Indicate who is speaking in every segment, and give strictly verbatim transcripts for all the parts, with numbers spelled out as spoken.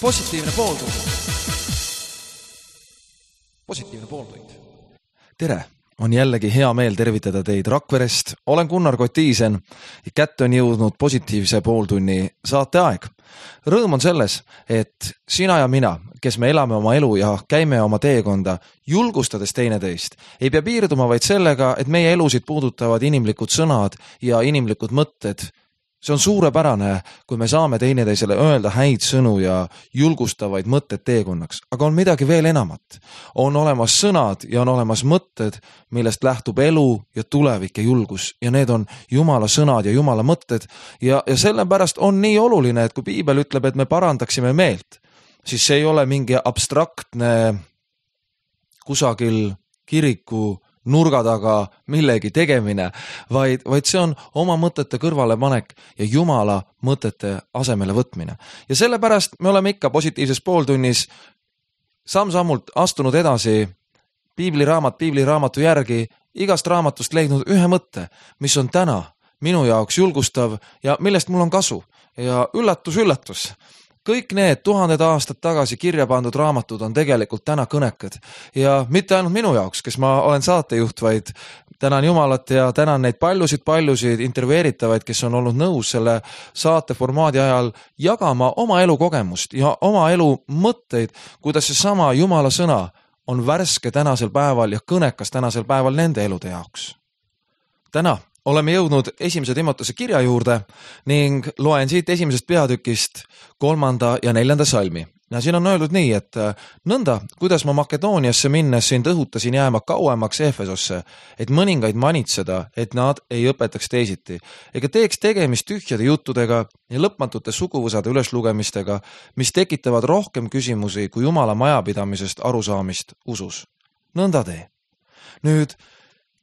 Speaker 1: Positiivne pooltund. Positiivne pooltund. Tere, on jällegi hea meel tervitada teid Rakverest. Olen Gunnar Kotiisen ja kätte on jõudnud positiivse pooltunni saate aeg. Rõõm on selles, et sina ja mina, kes me elame oma elu ja käime oma teekonda, julgustades teineteist, ei pea piirduma vaid sellega, et meie elusid puudutavad inimlikud sõnad ja inimlikud mõtted. See on suurepärane, kui me saame teineteisele öelda häid sõnu ja julgustavaid mõtted teekonnaks. Aga on midagi veel enamat. On olemas sõnad ja on olemas mõtted, millest lähtub elu ja tulevik ja julgus. Ja need on Jumala sõnad ja Jumala mõtted. Ja, ja sellepärast on nii oluline, et kui Piibel ütleb, et me parandaksime meelt, siis see ei ole mingi abstraktne kusagil kiriku nurga taga millegi tegemine, vaid, vaid see on oma mõtete kõrvale panek ja Jumala mõtete asemele võtmine. Ja sellepärast me oleme ikka positiivses pooltunnis samm-sammult astunud edasi piibliraamat piibliraamatu järgi, igast raamatust leidnud ühe mõtte, mis on täna minu jaoks julgustav ja millest mul on kasu. Ja üllatus, üllatus. Kõik need tuhanded aastad tagasi kirja pandud raamatud on tegelikult täna kõnekad. Ja mitte ainult minu jaoks, kes ma olen saatejuht, vaid tänan Jumalat ja tänan neid paljusid-paljusid intervjueeritavaid, kes on olnud nõus selle saate formaadi ajal jagama oma elu kogemust ja oma elu mõtteid, kuidas see sama Jumala sõna on värske tänasel päeval ja kõnekas tänasel päeval nende elude jaoks. Täna oleme jõudnud esimese Timotese kirja juurde ning loen siit esimesest peatükist kolmanda ja neljanda salmi. Ja siin on öeldud nii, et nõnda, kuidas ma Makedooniasse minnes sind õhutasin jääma kauemaks Efesosse, et mõningaid manitseda, et nad ei õpetaks teisiti, ega teeks tegemist tühjade juttudega ja lõpmatute suguvõsade üleslugemistega, mis tekitavad rohkem küsimusi kui Jumala majapidamisest arusaamist usus. Nõnda tee. Nüüd,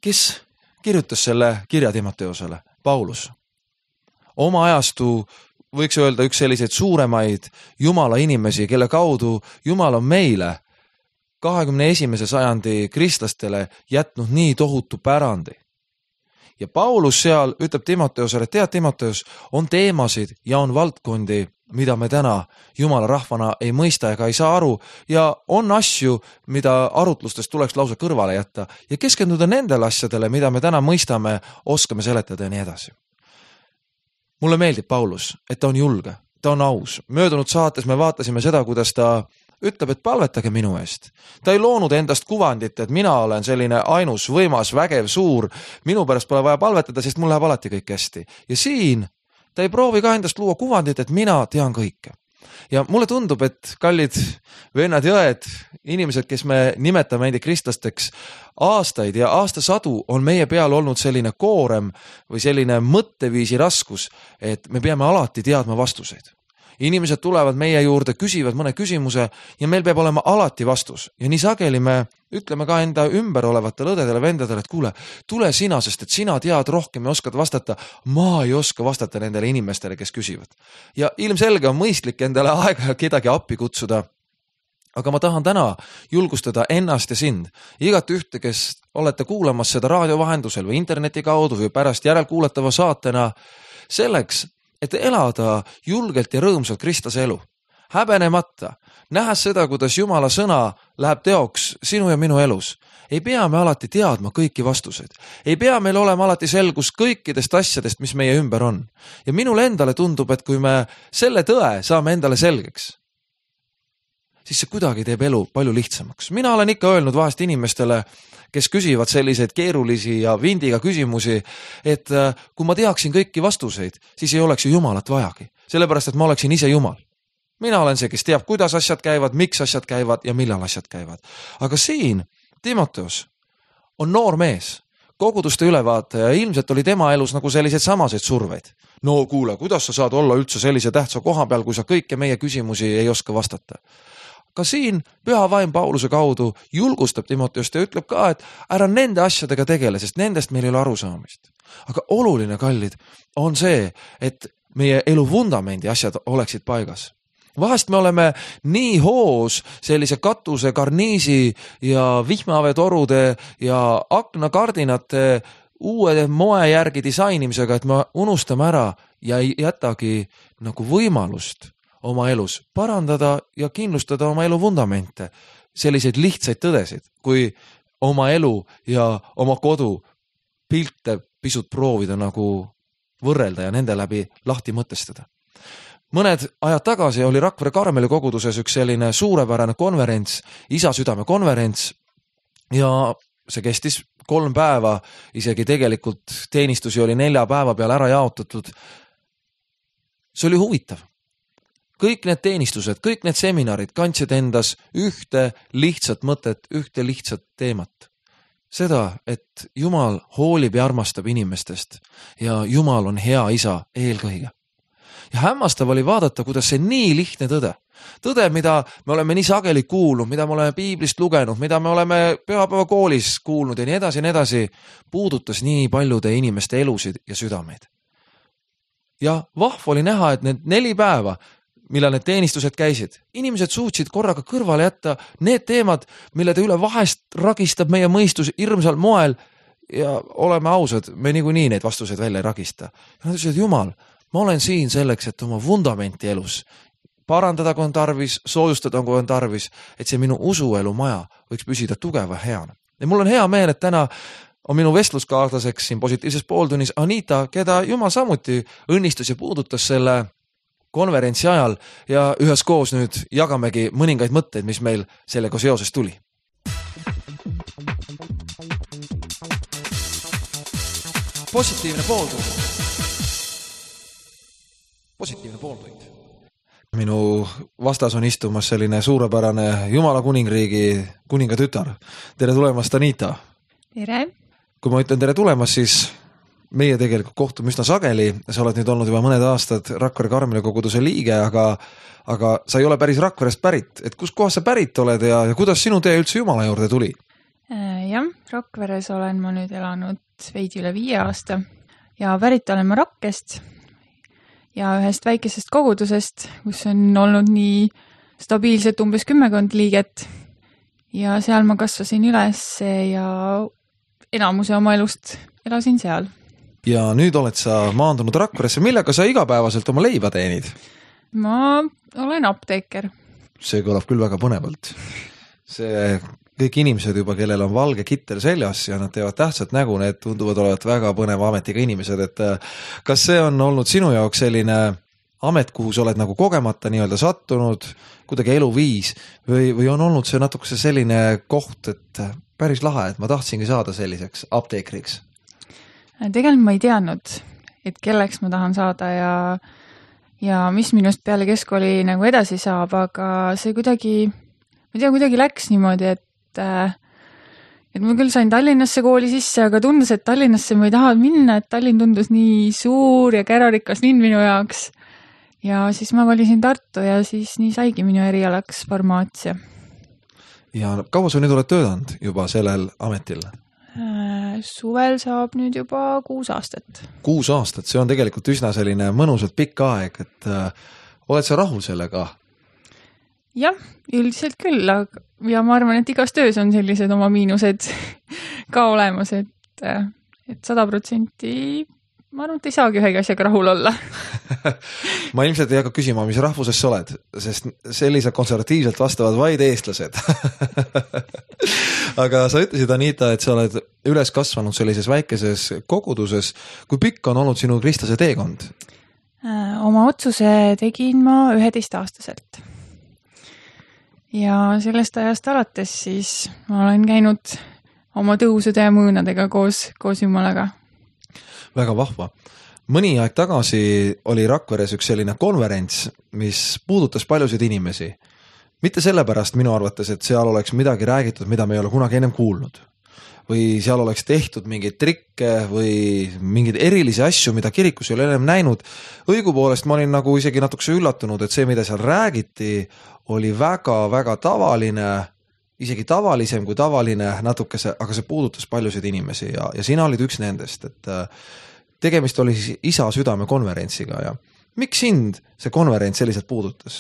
Speaker 1: kes kirjutas selle kirja Timoteosele? Paulus. Oma ajastu võiks öelda üks selliseid suuremaid Jumala inimesi, kelle kaudu Jumal on meile kahekümne esimese sajandi kristlastele jätnud nii tohutu pärandi. Ja Paulus seal ütleb Timoteosele, tead Timoteos, on teemasid ja on valdkondi, mida me täna Jumala rahvana ei mõista ega ei saa aru ja on asju, mida arutlustest tuleks lausa kõrvale jätta ja keskenduda nendele asjadele, mida me täna mõistame, oskame seletada ja nii edasi. Mulle meeldib Paulus, et ta on julge, ta on aus. Möödunud saates me vaatasime seda, kuidas ta ütleb, et palvetage minu eest. Ta ei loonud endast kuvandit, et mina olen selline ainus, võimas, vägev, suur. Minu pärast pole vaja palvetada, sest mul läheb alati kõik hästi. Ja siin ta ei proovi ka endast luua kuvandit, et mina tean kõike. Ja mulle tundub, et kallid vennad ja õed, inimesed, kes me nimetame endi kristlasteks, aastaid ja aastasadu on meie peal olnud selline koorem või selline mõtteviisi raskus, et me peame alati teadma vastuseid. Inimesed tulevad meie juurde, küsivad mõne küsimuse ja meil peab olema alati vastus. Ja nii sageli me ütleme ka enda ümber olevatele õdedele, vendadele, et kuule, tule sina, sest et sina tead rohkem ja oskad vastata. Ma ei oska vastata nendele inimestele, kes küsivad. Ja ilmselge on mõistlik endale aega kedagi appi kutsuda. Aga ma tahan täna julgustada ennast ja sind. Igat ühte, kes olete kuulamas seda raadio vahendusel või interneti kaudu või pärast järelkuulatava saatena, selleks, et elada julgelt ja rõõmsalt kristlase elu. Häbenemata, nähes seda, kuidas Jumala sõna läheb teoks sinu ja minu elus. Ei pea me alati teadma kõiki vastuseid. Ei pea meil olema alati selgus kõikidest asjadest, mis meie ümber on. Ja minule endale tundub, et kui me selle tõe saame endale selgeks, siis see kuidagi teeb elu palju lihtsamaks. Mina olen ikka öelnud vahest inimestele, kes küsivad selliseid keerulisi ja vindiga küsimusi, et kui ma teaksin kõiki vastuseid, siis ei oleks ju Jumalat vajagi. Sellepärast, et ma oleksin ise Jumal. Mina olen see, kes teab, kuidas asjad käivad, miks asjad käivad ja millal asjad käivad. Aga siin Timoteos on noor mees, koguduste ülevaataja ja ilmselt oli tema elus nagu selliseid samaseid surveid. No kuule, kuidas sa saad olla üldse sellise tähtsa koha peal, kui sa kõike meie küsimusi ei oska vastata? Ka siin püha vaim Pauluse kaudu julgustab Timoteost ja ütleb ka, et ära nende asjadega tegele, sest nendest meil ei ole arusaamist. Aga oluline, kallid, on see, et meie elu vundamendi asjad oleksid paigas. Vahest me oleme nii hoos sellise katuse, karniisi ja vihmaveetorude ja aknakardinate uue moe järgi disainimisega, et me unustame ära ja ei jätagi nagu võimalust oma elus parandada ja kindlustada oma elu vundamente. Selliseid lihtsaid tõdesid, kui oma elu ja oma kodu pilte pisut proovida nagu võrrelda ja nende läbi lahti mõtestada. Mõned ajad tagasi oli Rakvere Karmeli koguduses üks selline suurepärane konverents, isa südame konverents ja see kestis kolm päeva, isegi tegelikult teenistusi oli nelja päeva peale ära jaotatud. See oli huvitav. Kõik need teenistused, kõik need seminarid kandsid endas ühte lihtsat mõtet, ühte lihtsat teemat. Seda, et Jumal hoolib ja armastab inimestest ja Jumal on hea isa eelkõige. Ja hämmastav oli vaadata, kuidas see nii lihtne tõde. Tõde, mida me oleme nii sageli kuulnud, mida me oleme piiblist lugenud, mida me oleme pühapäeva koolis kuulnud ja nii edasi ja nii edasi, puudutas nii paljude inimeste elusid ja südameid. Ja vahv oli näha, et need neli päeva, millal need teenistused käisid, inimesed suutsid korraga kõrvale jätta need teemad, mille te üle vahest ragistab meie mõistus hirmsal moel ja oleme ausad, me niikuinii neid vastuseid välja ei ragista. Ja nad ütlesid, Jumal, ma olen siin selleks, et oma vundamenti elus parandada, kui on tarvis, soojustada, kui on tarvis, et see minu usuelu maja võiks püsida tugeva heana. Ja mul on hea meel, et täna on minu vestluskaaslaseks siin positiivses pooltunnis Anita, keda Jumal samuti õnnistus ja puudutas selle konverentsi ajal ja üheskoos nüüd jagamegi mõningaid mõtteid, mis meil sellega seoses tuli. Positiivne pooltund. Positiivne pooltund. Minu vastas on istumas selline suurepärane Jumala kuningriigi kuninga tütar. Tere tulemast, Anita!
Speaker 2: Tere!
Speaker 1: Kui ma ütlen tere tulemast, siis meie tegelikult kohtume üsna sageli. Sa oled nüüd olnud juba mõned aastad Rakvere Karmeli koguduse liige, aga, aga sa ei ole päris Rakverest pärit. Et kus kohas sa pärit oled ja, ja kuidas sinu tee üldse Jumala juurde tuli?
Speaker 2: Jah, Rakveres olen ma nüüd elanud veidi üle viie aasta ja pärit olen ma Rakkest ja ühest väikesest kogudusest, kus on olnud nii stabiilselt umbes kümmekond liiget ja seal ma kasvasin üles ja enamuse oma elust elasin seal.
Speaker 1: Ja nüüd oled sa maandunud Rakveresse. Millega sa igapäevaselt oma leiba teenid?
Speaker 2: Ma olen apteeker.
Speaker 1: See kõlab küll väga põnevalt. See kõik inimesed juba, kellel on valge kittel seljas ja nad teevad tähtsat nägu, need tunduvad olevat väga põneva ametiga inimesed, et kas see on olnud sinu jaoks selline amet, kuhu sa oled nagu kogemata nii-öelda sattunud, kuidagi eluviis või, või on olnud see natukese selline koht, et päris lahe, et ma tahtsingi saada selliseks apteekriks?
Speaker 2: Tegelikult ma ei teadnud, et kelleks ma tahan saada ja, ja mis minust peale keskkooli nagu edasi saab, aga see kuidagi, ma tea, kuidagi läks niimoodi, et et ma küll sain Tallinnasse kooli sisse, aga tundus, et Tallinnasse ma ei taha minna, et Tallinn tundus nii suur ja kärarikas linn minu jaoks. Ja siis ma valisin Tartu ja siis nii saigi minu erialaks farmaatsia. Ja
Speaker 1: kaua sa nüüd oled töötanud juba sellel ametil?
Speaker 2: Suvel saab nüüd juba kuus aastat.
Speaker 1: Kuus aastat, see on tegelikult üsna selline mõnusalt pikk aeg, et äh, oled sa rahul sellega?
Speaker 2: Jah, üldiselt küll, ja ma arvan, et igas töös on sellised oma miinused ka olemas, et, et sada protsenti ma arvan, et ei saagi ühegi asjaga rahul olla.
Speaker 1: Ma ilmselt ei hakka küsima, mis rahvusest sa oled, sest sellised konservatiivselt vastavad vaid eestlased. Aga sa ütlesid, Anita, et sa oled üles kasvanud sellises väikeses koguduses. Kui pikk on olnud sinu kristlase teekond?
Speaker 2: Oma otsuse tegin ma üheteist aastaselt. Ja sellest ajast alates siis ma olen käinud oma tõusude ja mõõnadega koos, koos Jumalaga.
Speaker 1: Väga vahva. Mõni aeg tagasi oli Rakveres üks selline konverents, mis puudutas paljusid inimesi. Mitte sellepärast minu arvates, et seal oleks midagi räägitud, mida me ei ole kunagi ennem kuulnud. Või seal oleks tehtud mingeid trikke või mingeid erilisi asju, mida kirikus ei ole ennem näinud. Õigupoolest ma olin nagu isegi natukese üllatunud, et see, mida seal räägiti, oli väga-väga tavaline, isegi tavalisem kui tavaline natukese, aga see puudutas paljusid inimesi ja, ja sina olid üks nendest, et tegemist oli siis isa südame konverentsiga ja miks sind see konverents selliselt puudutas?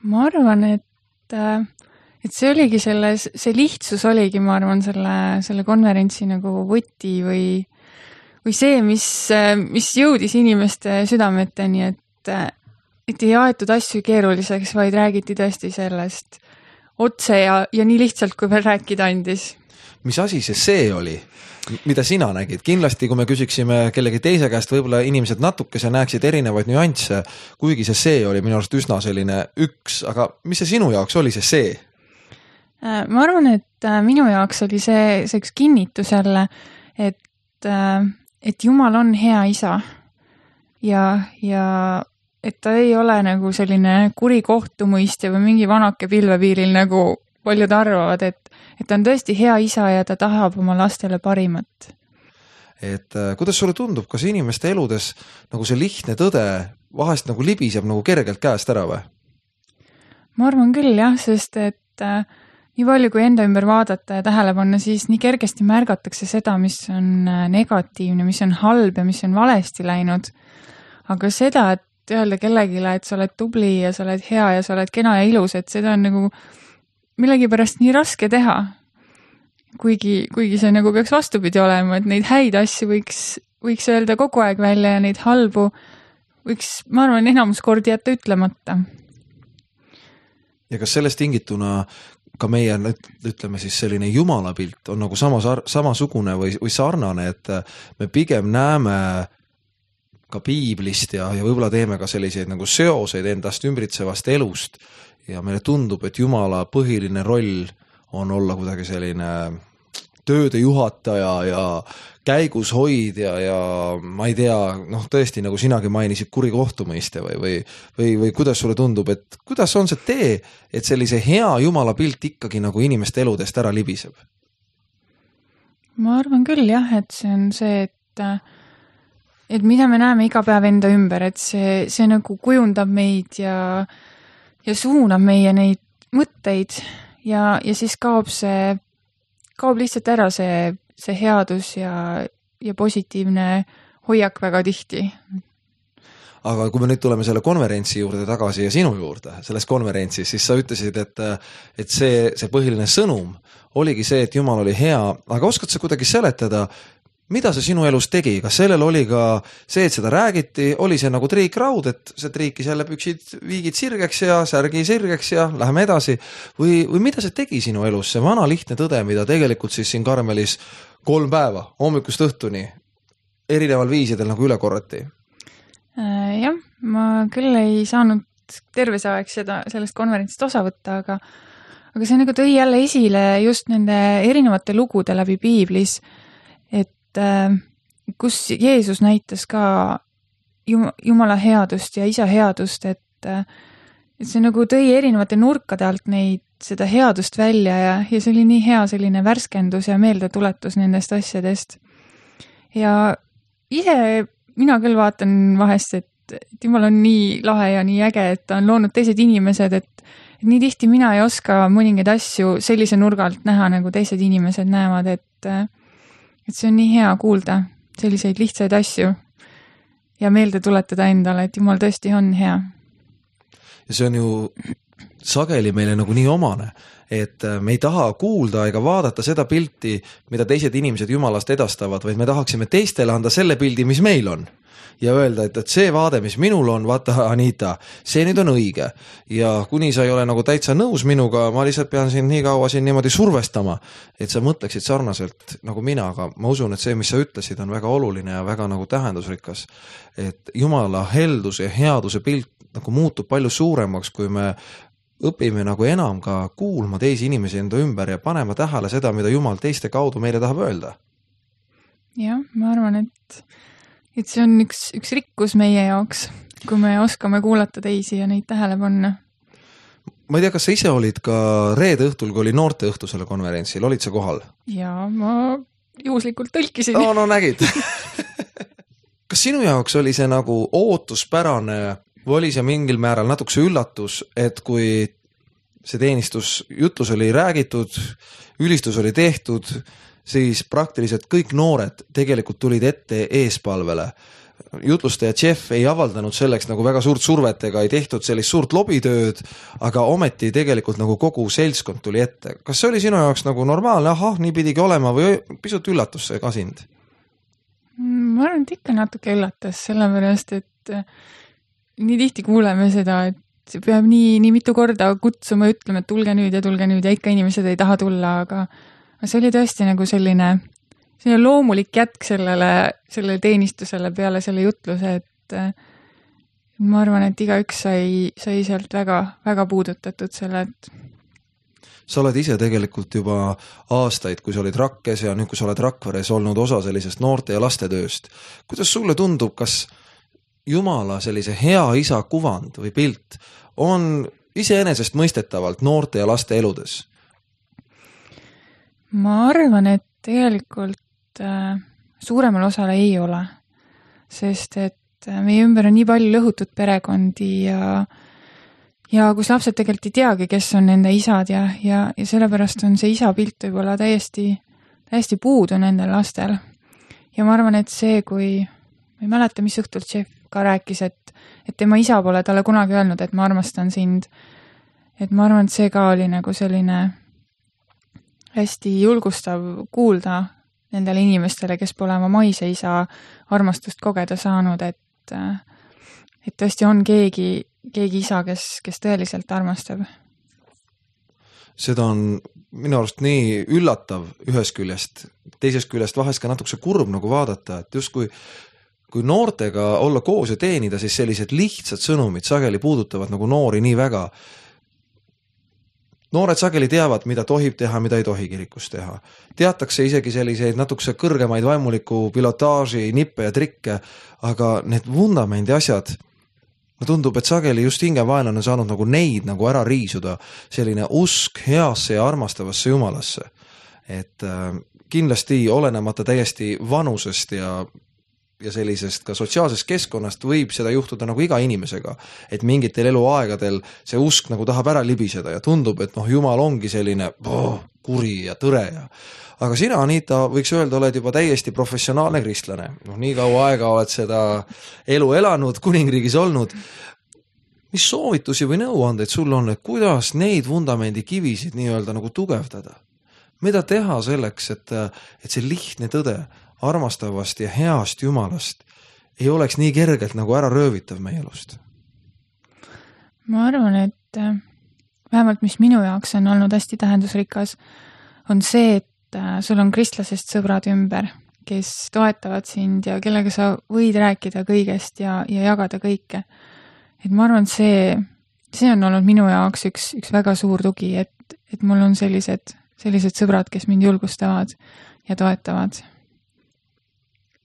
Speaker 2: Ma arvan, et, et see oligi selle, see lihtsus oligi, ma arvan, selle, selle konverentsi nagu võti või, või see, mis, mis jõudis inimeste südameteni, et, et ei aetud asju keeruliseks, vaid räägiti tõesti sellest otse ja, ja nii lihtsalt, kui veel rääkida andis.
Speaker 1: Mis asi see see oli, mida sina nägid? Kindlasti, kui me küsiksime kellegi teise käest, võib-olla inimesed natukese näeksid erinevaid nüansse, kuigi see see oli minu arust üsna selline üks, aga mis see sinu jaoks oli see see?
Speaker 2: Ma arvan, et minu jaoks oli see, see üks kinnitus jälle, et, et Jumal on hea isa ja, ja et ta ei ole nagu selline kuri kohtumõistja või mingi vanake pilvepiiril, nagu paljud arvavad, et, et ta on tõesti hea isa ja ta tahab oma lastele parimat.
Speaker 1: Et kuidas sulle tundub, kas inimeste eludes nagu see lihtne tõde vahest nagu libiseb nagu kergelt käest ära või?
Speaker 2: Ma arvan küll jah, sest et äh, nii palju kui enda ümber vaadata ja tähele panna, siis nii kergesti märgatakse seda, mis on negatiivne, mis on halb ja mis on valesti läinud. Aga seda, et öelda kellegile, et sa oled tubli ja sa oled hea ja sa oled kena ja ilus, et seda on nagu millegipärast nii raske teha. Kuigi, kuigi see nagu peaks vastupidi olema, et neid häid asju võiks, võiks öelda kogu aeg välja ja neid halbu võiks, ma arvan, enamus kordi jätta ütlemata.
Speaker 1: Ja kas sellest tingituna ka meie, ütleme siis selline jumalapilt on nagu sama, samasugune või, või sarnane, et me pigem näeme ka piiblist ja, ja võib-olla teeme ka selliseid nagu seoseid endast ümbritsevast elust ja meile tundub, et Jumala põhiline roll on olla kuidagi selline tööde juhataja ja käigus hoidja ja ma ei tea, noh tõesti, nagu sinagi mainisid, kuri kohtumõiste või, või, või, või kuidas sulle tundub, et kuidas on see tee, et sellise hea Jumala pilt ikkagi nagu inimeste eludest ära libiseb?
Speaker 2: Ma arvan küll jah, et see on see, et et mida me näeme iga päev enda ümber, et see, see nagu kujundab meid ja, ja suunab meie neid mõtteid ja, ja siis kaob see, kaob lihtsalt ära see, see headus ja, ja positiivne hoiak väga tihti.
Speaker 1: Aga kui me nüüd tuleme selle konverentsi juurde tagasi ja sinu juurde, selles konverentsis, siis sa ütlesid, et, et see, see põhiline sõnum oligi see, et Jumal oli hea, aga oskad sa kuidagi seletada, mida see sinu elus tegi? Kas sellel oli ka see, et seda räägiti, oli see nagu triikraud, et see triikis jälle püksid viigid sirgeks ja särgi sirgeks ja läheme edasi? Või, või mida see tegi sinu elus, see vana lihtne tõde, mida tegelikult siis siin Karmelis kolm päeva, hommikust õhtuni, erineval viisidel nagu üle korrati?
Speaker 2: Äh, jah, ma küll ei saanud terves aeg seda, sellest konverentsist osa võtta, aga, aga see nagu tõi jälle esile just nende erinevate lugude läbi piiblis, kus Jeesus näitas ka Jumala headust ja isa headust, et, et see nagu tõi erinevate nurkade alt neid, seda headust välja ja, ja see oli nii hea selline värskendus ja meeldetuletus nendest asjadest. Ja ise mina küll vaatan vahest, et, et Jumal on nii lahe ja nii äge, et ta on loonud teised inimesed, et, et nii tihti mina ei oska mõningaid asju sellise nurgalt näha, nagu teised inimesed näevad, et et see on nii hea kuulda selliseid lihtsaid asju ja meelde tuletada endale, et Jumal tõesti on hea.
Speaker 1: Ja see on ju sageli meile nagu nii omane, et me ei taha kuulda ega vaadata seda pilti, mida teised inimesed Jumalast edastavad, vaid me tahaksime teistele anda selle pildi, mis meil on. Ja öelda, et, et see vaade, mis minul on, vaata Anita, see nüüd on õige. Ja kuni sa ei ole nagu täitsa nõus minuga, ma lihtsalt pean siin nii kaua siin niimoodi survestama, et sa mõtleksid sarnaselt nagu mina, aga ma usun, et see, mis sa ütlesid, on väga oluline ja väga nagu tähendusrikas. Et Jumala heldus ja headuse pilt nagu muutub palju suuremaks, kui me õpime nagu enam ka kuulma teisi inimesi enda ümber ja panema tähele seda, mida Jumal teiste kaudu meile tahab öelda.
Speaker 2: Jah, ma arvan, et et see on üks, üks rikkus meie jaoks, kui me oskame kuulata teisi ja neid tähele panna.
Speaker 1: Ma ei tea, kas sa ise olid ka reede õhtul, kui oli noorte õhtu selle konverentsil, olid sa kohal?
Speaker 2: Jaa, ma juhuslikult tõlkisin.
Speaker 1: No, no nägid. Kas sinu jaoks oli see nagu ootuspärane või oli see mingil määral natukese üllatus, et kui see teenistus jutlus oli räägitud, ülistus oli tehtud, siis praktiliselt kõik noored tegelikult tulid ette eespalvele. Jutlustaja Jeff ei avaldanud selleks nagu väga suurt survet ega ei tehtud sellist suurt lobitööd, aga ometi tegelikult nagu kogu seltskond tuli ette. Kas see oli sinu jaoks nagu normaalne, ahah, nii pidigi olema või pisut üllatus see ka sind?
Speaker 2: Ma arvan, et ikka natuke üllatas, sellepärast, et nii tihti kuuleme seda, et see peab nii, nii mitu korda kutsuma, ütlema, et tulge nüüd ja tulge nüüd ja ikka inimesed ei taha tulla, aga see oli tõesti nagu selline, selline loomulik jätk sellele, sellele teenistusele peale selle jutluse, et ma arvan, et igaüks sai, sai sealt väga, väga puudutatud selle, et
Speaker 1: sa oled ise tegelikult juba aastaid, kui sa olid Rakkes ja nüüd, kui sa oled Rakveres olnud osa sellisest noorte ja laste tööst. Kuidas sulle tundub, kas Jumala sellise hea isa kuvand või pilt on iseenesest mõistetavalt noorte ja laste eludes?
Speaker 2: Ma arvan, et tegelikult äh, suuremal osale ei ole, sest et meie ümber on nii palju lõhutud perekondi ja, ja kus lapsed tegelikult ei teagi, kes on nende isad ja, ja, ja sellepärast on see isa pilt võib-olla täiesti, täiesti puudu nendel lastel. Ja ma arvan, et see, kui, ma ei mäleta, mis õhtult šef ka rääkis, et, et tema isa pole talle kunagi öelnud, et ma armastan sind, et ma arvan, et see ka oli nagu selline hästi julgustav kuulda nendele inimestele, kes pole oma maise isa armastust kogeda saanud, et et tõesti on keegi, keegi isa, kes, kes tõeliselt armastab.
Speaker 1: Seda on minu arust nii üllatav ühest küljest, teisest küljest vahest ka natukese kurb nagu vaadata, et just kui, kui noortega olla koos ja teenida, siis sellised lihtsad sõnumid sageli puudutavad nagu noori nii väga. Noored sageli teavad, mida tohib teha, mida ei tohi kirikus teha. Teatakse isegi selliseid natukese kõrgemaid vaimuliku pilotaaži, nippe ja trikke, aga need vundamendi asjad, no tundub, et sageli just hingevaenlane on saanud nagu neid nagu ära riisuda, selline usk heasse ja armastavasse Jumalasse. Et äh, kindlasti olenemata täiesti vanusest ja ja sellisest ka sotsiaalsest keskkonnast võib seda juhtuda nagu iga inimesega, et mingitel eluaegadel see usk nagu tahab ära libiseda ja tundub, et noh, Jumal ongi selline oh, kuri ja tõre ja aga sina, Anita, võiks öelda, oled juba täiesti professionaalne kristlane. No, nii kaua aega oled seda elu elanud, kuningriigis olnud. Mis soovitusi või nõuandeid sul on, et kuidas neid vundamendi kivisid nii-öelda nagu tugevdada? Mida teha selleks, et, et see lihtne tõde armastavast ja heast Jumalast ei oleks nii kergelt nagu ära röövitav meie elust?
Speaker 2: Ma arvan, et vähemalt mis minu jaoks on olnud hästi tähendusrikas, on see, et sul on kristlasest sõbrad ümber, kes toetavad sind ja kellega sa võid rääkida kõigest ja, ja jagada kõike. Et ma arvan, et see, see on olnud minu jaoks üks, üks väga suur tugi, et, et mul on sellised, sellised sõbrad, kes mind julgustavad ja toetavad.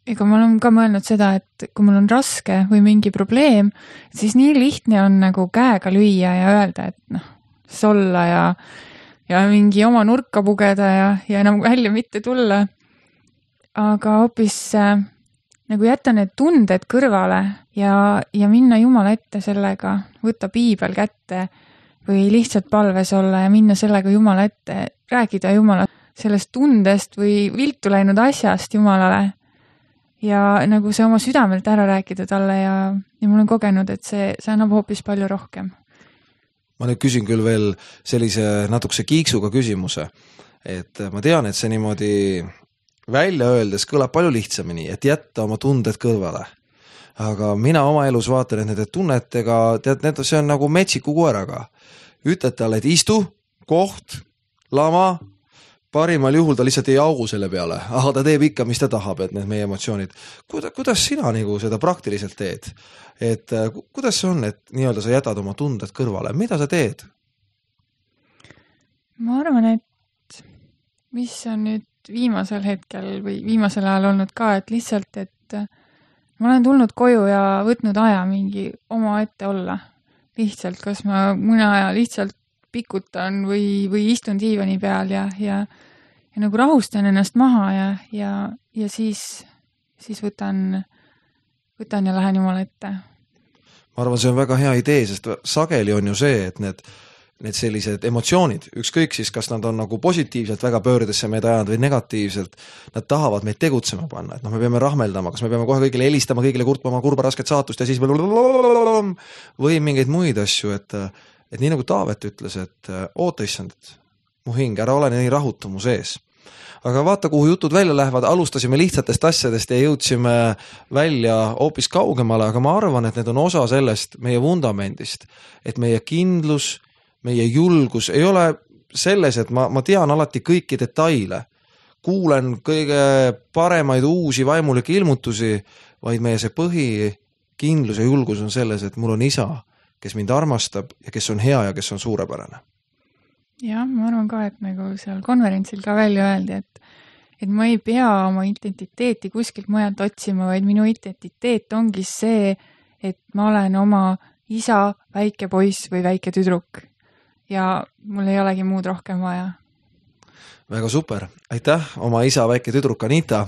Speaker 2: Ega ma olen ka mõelnud seda, et kui mul on raske või mingi probleem, siis nii lihtne on nagu käega lüüa ja öelda, et noh, solla ja, ja mingi oma nurka pugeda ja, ja enam välja mitte tulla. Aga hoopis äh, nagu jätta need tunded kõrvale ja, ja minna Jumala ette sellega, võtta piibel kätte või lihtsalt palves olla ja minna sellega Jumala ette, rääkida Jumala sellest tundest või viltu läinud asjast Jumalale. Ja nagu see oma südamelt ära rääkida talle ja, ja mul on kogenud, et see, see annab hoopis palju rohkem.
Speaker 1: Ma nüüd küsin küll veel sellise natukese kiiksuga küsimuse, et ma tean, et see niimoodi välja öeldes kõlab palju lihtsamini, et jätta oma tunded kõrvale. Aga mina oma elus vaatan, et nende tunnetega, tead, need, see on nagu metsiku koeraga. Ütled talle, et istu, koht, lama, parimal juhul ta lihtsalt ei augu selle peale, aga ta teeb ikka, mis ta tahab, et need meie emotsioonid. Kuda, kuidas sina nagu seda praktiliselt teed? Et kuidas see on, et nii-öelda sa jätad oma tunded kõrvale? Mida sa teed?
Speaker 2: Ma arvan, et mis on nüüd viimasel hetkel või viimasel ajal olnud ka, et lihtsalt, et ma olen tulnud koju ja võtnud aja mingi oma ette olla. Lihtsalt, kas ma mõne aja lihtsalt pikutan või, või istun diivani peal ja, ja, ja nagu rahustan ennast maha ja, ja, ja siis, siis võtan, võtan ja lähen Jumala ette.
Speaker 1: Ma arvan, see on väga hea idee, sest sageli on ju see, et need, need sellised emotsioonid, ükskõik siis, kas nad on nagu positiivselt väga pöördesse meid ajanud või negatiivselt, nad tahavad meid tegutsema panna, et noh, me peame rahmeldama, kas me peame kohe kõigile helistama, kõigile kurtma oma kurba rasket saatust ja siis või mingeid muid asju, et et nii nagu Taavet ütles, et oota issand, mu hing, ära ole nii rahutu mu sees. aga vaata, kuhu jutud välja lähevad, alustasime lihtsatest asjadest ja jõudsime välja hoopis kaugemale, aga ma arvan, et need on osa sellest meie vundamendist, et meie kindlus, meie julgus ei ole selles, et ma, ma tean alati kõiki detaile, kuulen kõige paremaid uusi vaimulikke ilmutusi, vaid meie see põhikindlus ja julgus on selles, et mul on isa, kes mind armastab ja kes on hea ja kes on suurepärane.
Speaker 2: Jah, ma arvan ka, et nagu seal konverentsil ka välja öeldi, et, et ma ei pea oma identiteeti kuskilt mujalt otsima, vaid minu identiteet ongi see, et ma olen oma isa väike poiss või väike tüdruk ja mul ei olegi muud rohkem vaja.
Speaker 1: Väga super. Aitäh, oma isa väike tüdruk Anita,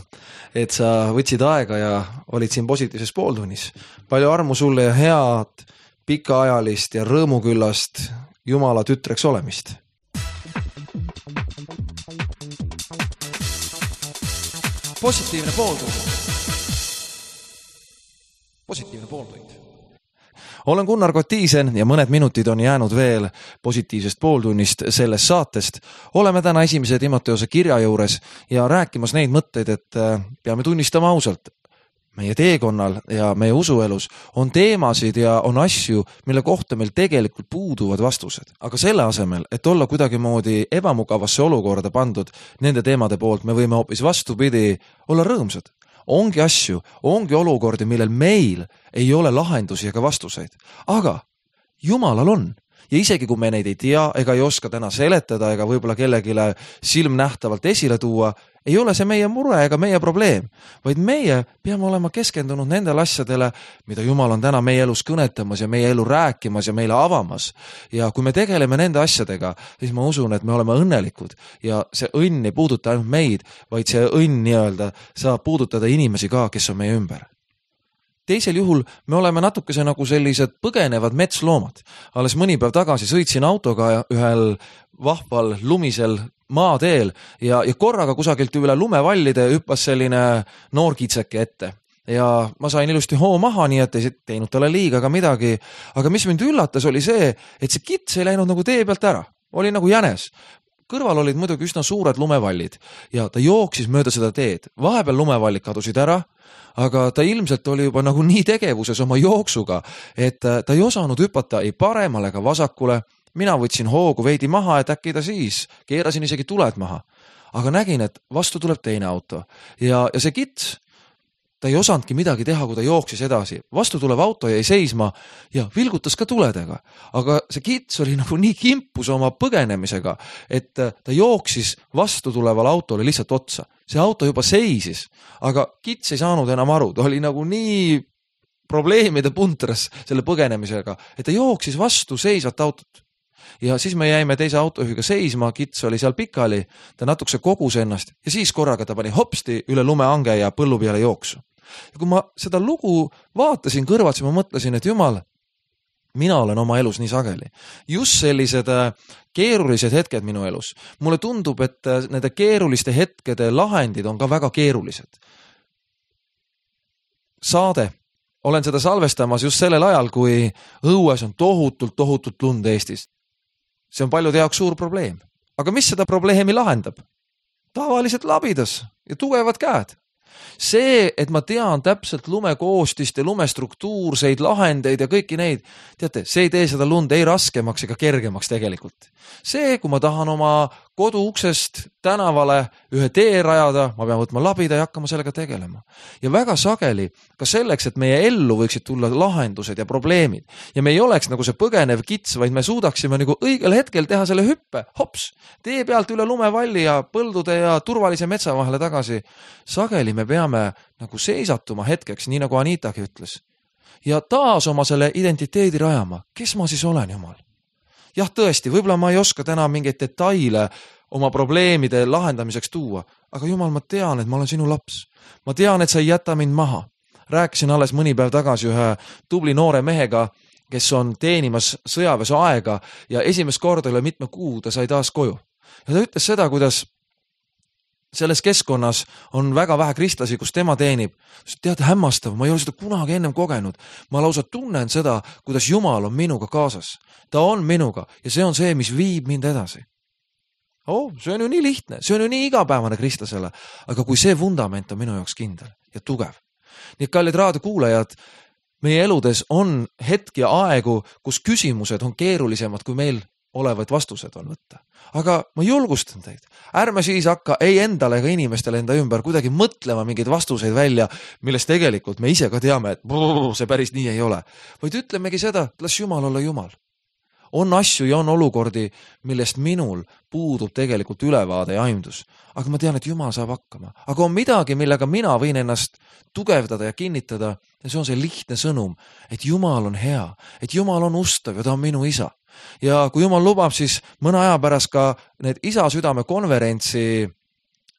Speaker 1: et sa võtsid aega ja olid siin positiivses pooltunnis. Palju armu sulle ja head, pikaajalist ja rõõmuküllast Jumala tütreks olemist. Positiivne pooltund. Positiivne pooltund. Olen Gunnar Kotiisen ja mõned minutid on jäänud veel positiivsest pooltunnist sellest saatest. Oleme täna esimese Timoteose kirja juures ja rääkimas neid mõtteid, et peame tunnistama ausalt. Meie teekonnal ja meie usuelus on teemasid ja on asju, mille kohta meil tegelikult puuduvad vastused. Aga selle asemel, et olla kuidagi moodi ebamugavasse olukorda pandud nende teemade poolt, me võime hoopis vastupidi olla rõõmsad. Ongi asju, ongi olukordi, millel meil ei ole lahendusi ega vastuseid. Aga Jumalal on. Ja isegi kui me neid ei tea ega ei oska täna seletada ega võib-olla kellegile silmnähtavalt esile tuua, ei ole see meie mure ega meie probleem, vaid meie peame olema keskendunud nendele asjadele, mida Jumal on täna meie elus kõnetamas ja meie elu rääkimas ja meile avamas. Ja kui me tegeleme nende asjadega, siis ma usun, et me oleme õnnelikud ja see õnn ei puuduta ainult meid, vaid see õnn nii-öelda saab puudutada inimesi ka, kes on meie ümber. Teisel juhul me oleme natukese nagu sellised põgenevad metsloomad. Alles mõni päev tagasi sõitsin autoga ühel vahval lumisel maateel ja, ja korraga kusagilt üle lumevallide hüppas selline noor kitseke ette. Ja ma sain ilusti hoo maha, nii et ei teinud talle liiga ega midagi. Aga mis mind üllatas oli see, et see kits ei läinud nagu tee pealt ära. Oli nagu jänes. Kõrval olid muidugi üsna suured lumevallid ja ta jooksis mööda seda teed. Vahepeal lumevallid kadusid ära, aga ta ilmselt oli juba nagu nii tegevuses oma jooksuga, et ta ei osanud hüpata ei paremale ega vasakule. Mina võtsin hoogu veidi maha, et äkki ta siis. Keerasin isegi tuled maha. Aga nägin, et vastu tuleb teine auto. Ja, ja see kits, ta ei osanudki midagi teha, kui ta jooksis edasi. Vastu tulev auto jäi seisma ja vilgutas ka tuledega. Aga see kits oli nagu nii kimpus oma põgenemisega, et ta jooksis vastu tuleval autole lihtsalt otsa. See auto juba seisis, aga kits ei saanud enam aru. Ta oli nagu nii probleemide puntras selle põgenemisega, et ta jooksis vastu seisvat autot. Ja siis me jäime teise autojuhiga seisma, kits oli seal pikali, ta natukese kogus ennast ja siis korraga ta pani hopsti üle lumeange ja põllu peale jooksu. Ja kui ma seda lugu vaatasin kõrvalt, siis ma mõtlesin, et Jumal, mina olen oma elus nii sageli. Just sellised keerulised hetked minu elus. Mulle tundub, et nende keeruliste hetkede lahendid on ka väga keerulised. Saade. Olen seda salvestamas just sellel ajal, kui õues on tohutult, tohutult lund Eestis. See on paljude jaoks suur probleem. Aga mis seda probleemi lahendab? Tavaliselt labidas ja tugevad käed. See, et ma tean täpselt lumekoostist ja lumestruktuurseid lahendeid ja kõiki neid, teate, see ei tee seda lund ei raskemaks ega kergemaks tegelikult. See, kui ma tahan oma kodu uksest tänavale ühe tee rajada, ma pean võtma labida ja hakkama sellega tegelema. Ja väga sageli ka selleks, et meie ellu võiksid tulla lahendused ja probleemid. Ja me ei oleks nagu see põgenev kits, vaid me suudaksime nagu õigel hetkel teha selle hüppe, hops, tee pealt üle lumevalli ja põldude ja turvalise metsa vahele tagasi. Sageli me peame nagu seisatuma hetkeks, nii nagu Anitagi ütles. Ja taas oma selle identiteedi rajama. Kes ma siis olen, Jumal? Jah, tõesti, võib-olla ma ei oska täna mingeid detaile oma probleemide lahendamiseks tuua, aga Jumal, ma tean, et ma olen sinu laps. Ma tean, et sa ei jäta mind maha. Rääkisin alles mõni päev tagasi ühe tubli noore mehega, kes on teenimas sõjaväes aega ja esimest korda üle mitme kuu ta sai taas koju. Ja ta ütles seda, kuidas selles keskkonnas on väga vähe kristlasi, kus tema teenib. Tead, hämmastav, ma ei ole seda kunagi ennem kogenud. Ma lausa tunnen seda, kuidas Jumal on minuga kaasas. Ta on minuga ja see on see, mis viib mind edasi. oh, see on ju nii lihtne, see on ju nii igapäevane kristlasele, aga kui see vundament on minu jaoks kindel ja tugev. Nii et kallid raadiokuulajad, meie eludes on hetki ja aegu, kus küsimused on keerulisemad, kui meil olevad vastused on võtta. Aga ma julgustan teid, ärme siis hakka ei endale ega inimestele enda ümber kuidagi mõtlema mingeid vastuseid välja, millest tegelikult me ise ka teame, et brrr, see päris nii ei ole. Vaid ütlemegi seda, et las Jumal olla Jumal. On asju ja on olukordi, millest minul puudub tegelikult ülevaade ja aimdus. Aga ma tean, et Jumal saab hakkama. Aga on midagi, millega mina võin ennast tugevdada ja kinnitada, ja see on see lihtne sõnum, et Jumal on hea, et Jumal on ustav ja ta on minu isa. Ja kui Jumal lubab, siis mõne aja pärast ka need isa südame konverentsi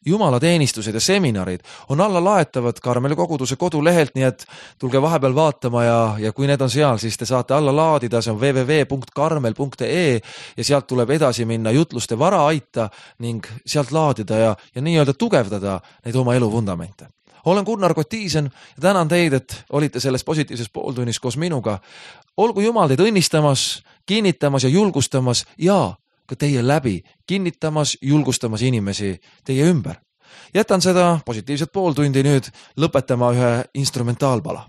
Speaker 1: jumalateenistused ja seminarid on alla laetavad Karmeli koguduse kodulehelt, nii et tulge vahepeal vaatama ja, ja kui need on seal, siis te saate alla laadida, see on double-u double-u double-u punkt karmel punkt e e ja sealt tuleb edasi minna jutluste vara aita ning sealt laadida ja, ja nii-öelda tugevdada neid oma elu vundamente. Olen Gunnar Kotiisen ja tänan teid, et olite selles positiivses pooltunnis koos minuga. Olgu Jumal teid õnnistamas, kinnitamas ja julgustamas ja ka teie läbi kinnitamas, julgustamas inimesi teie ümber. Jätan seda positiivset pooltundi nüüd lõpetama ühe instrumentaalpala.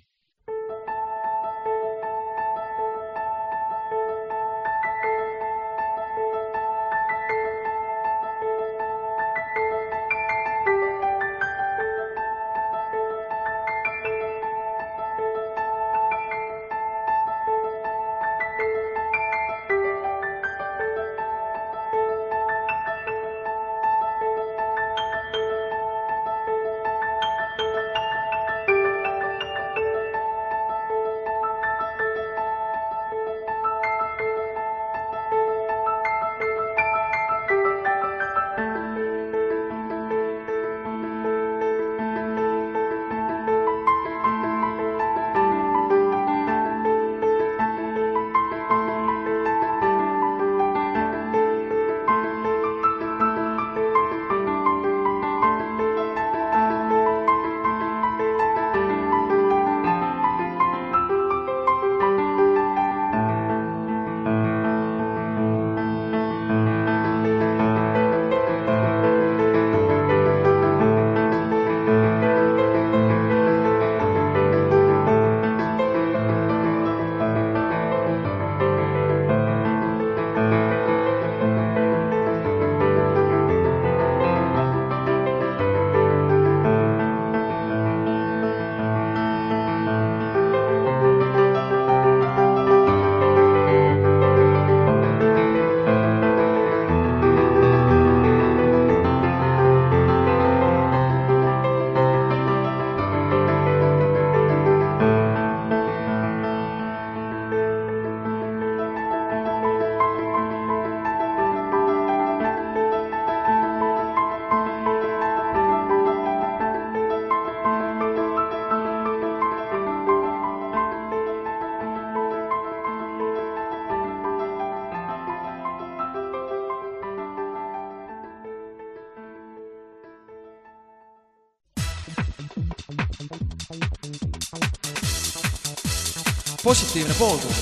Speaker 1: Positiivne pooltund.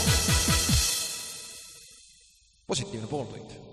Speaker 1: Positiivne pooltund.